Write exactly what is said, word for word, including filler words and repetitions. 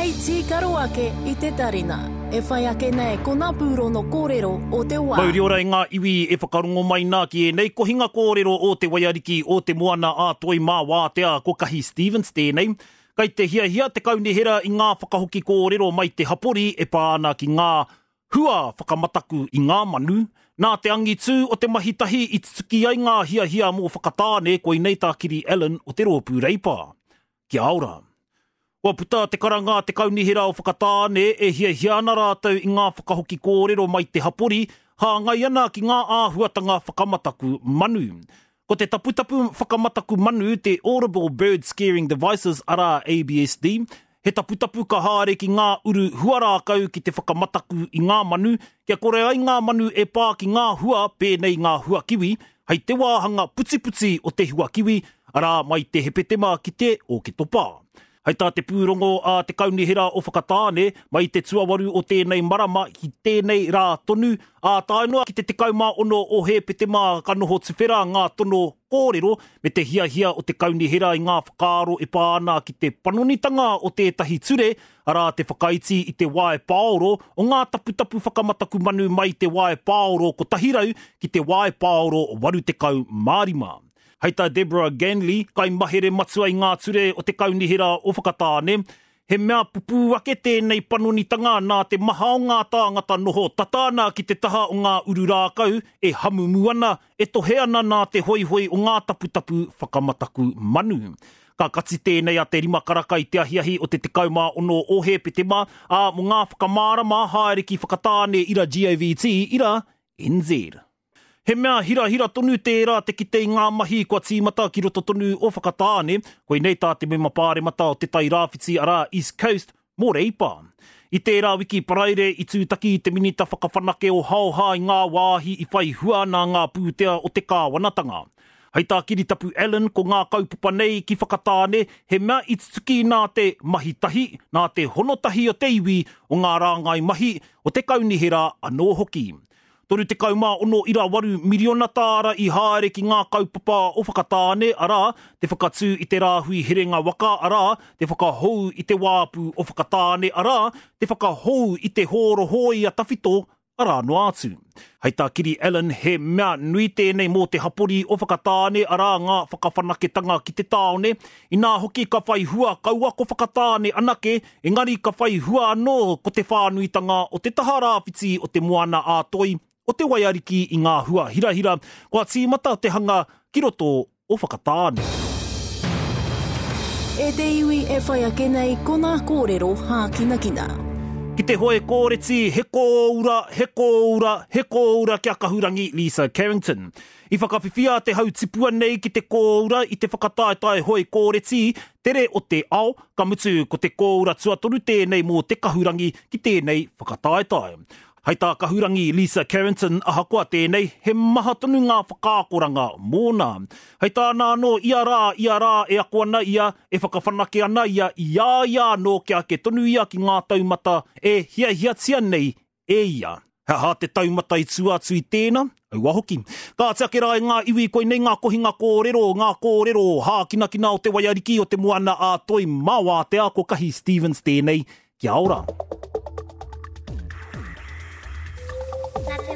Hei tīkaro ake i te tarina. E whai ake nei ko ngā pūrono kōrero o te wā. Mauri ora i ngā iwi e whakarongo mai nā ki ēnei kohinga kōrero o te waiariki o te moana a Toi mā Wātea ko Kahi Stevens tēnei. Kai te hiahia te kaunihera i ngā whakahoki kōrero mai te hapori e pā ana ki ngā hua whakamataku i ngā manu. Nā te angitū o te mahi tahi i tutuki ai ngā hiahia mō Whakatāne koinei tā Kiri Allan o te Rōpū Reipa. Kia ora. Kua puta te karanga a te kaunihera o Whakatāne e hiahia ana rātou i ngā whakahoki kōrero mai te hapori, hāngai ana ki ngā āhuatanga whakamataku manu. Ko te taputapu whakamataku manu te Audible Bird Scaring Devices arā A B S D, he taputapu ka haere ki ngā uru huarākau ki te whakamataku i ngā manu, kia kore ai ngā manu e pā ki ngā hua pēnei ngā huakiwi, hei te wāhanga putiputi o te huakiwi, arā mai te Hepetema ki te Oketopa. Hei tā te pūrongo a te kaunihera o Whakatāne, mai te tuawaru o tēnei marama ki tēnei rā tonu, ā tae noa ki te tekau mā ono o Hepetema ka noho tuwhera ngā tono kōrero me te hiahia o te kaunihera i ngā whakaaro e pā ana ki te panonitanga o tētahi ture, arā te whakaiti i te wae pāoro o ngā taputapu whakamataku manu mai te wae pāoro kotahi rau ki te wae pāoro waru tekau mā rima. Hei tā Deborah Ganley, kai mahere matua i ngā ture o te kaunihera o Whakatāne, he mea pupū ake tēnei panonitanga nā te maha o ngā tāngata noho tata ana ki te taha o ngā uru rākau e hamumu ana, e tohe ana nā te hoihoi o ngā taputapu whakamataku manu. Ka kati tēnei a te rima karaka i te ahiahi o te tekau mā ono o Hepetema, ā mō ngā whakamārama haere ki Whakatāne ira G O V T ira N Z. He mea hirahira tonu tērā te kite i ngā mahi kua tīmata ki roto tonu o Whakatāne, koinei tā te mema pāremata o Te Tai Rāwhiti arā East Coast mō Reipa. I tērā wiki Paraire i tūtaki te minita whakawhanake o Haoha i ngā wāhi i whai hua nā ngā pūtea o te kāwanatanga. Hei tā Kiritapu Allan ko ngā kaupapa nei ki Whakatāne he mea i tutuki nā te mahi tahi, nā te hono tahi o te iwi o ngā rāngai mahi o te kaunihera anō hoki. Toru tekau mā ono ira waru miriona tāra i haere ki ngā kaupapa o Whakatāne, arā, te whakatū i te rāhui herenga waka, arā, te whakahou i te wāpu o Whakatāne, arā, te whakahou i te hōro hōia tawhito, arā noa atu. Hei tā Kiri Allan, he mea nui tēnei mō te hapori o Whakatāne, arā ngā whakawhanaketanga ki te tāone, inā hoki ka whai hua kaua ko Whakatāne anake, engari ka whai hua anō ko te whānuitanga o te taha rāwhiti o te moana ā Toi, o te waiariki i ngā hua hirahira, kua tīmata te hanga ki roto o Whakatāne. E te iwi e whai ake nei ko ngā kōrero hākinakina. Ki te hoe kōreti, he kōura, he kōura, he kōura kia kahurangi Lisa Carrington. I whakawhiwhia te hau tipua nei ki te kōura i te whakataetae hoe kōreti, tere o te ao, ka mutu ko te kōura tuatoru tēnei mō te kahurangi ki tēnei whakataetae. Hei tā kahurangi Lisa Carrington ahakoa tēnei, he maha tonu ngā whakaakoranga mōna. Hei tāna anō, ia rā, ia rā e ako ana ia, e whakawhanake ana ia, i a ia anō kia ake tonu ia ki ngā taumata e hiahiatia nei e ia. He aha te taumata i tua atu i tēnā? Aua hoki. Ka ati ake rā i ngā iwi koinei ngā kohinga kōrero, ngā kōrero hākinakina o te waiariki o te moana a Toi mā Wātea ko Kahi Stevens tēnei. Kia ora. Nā te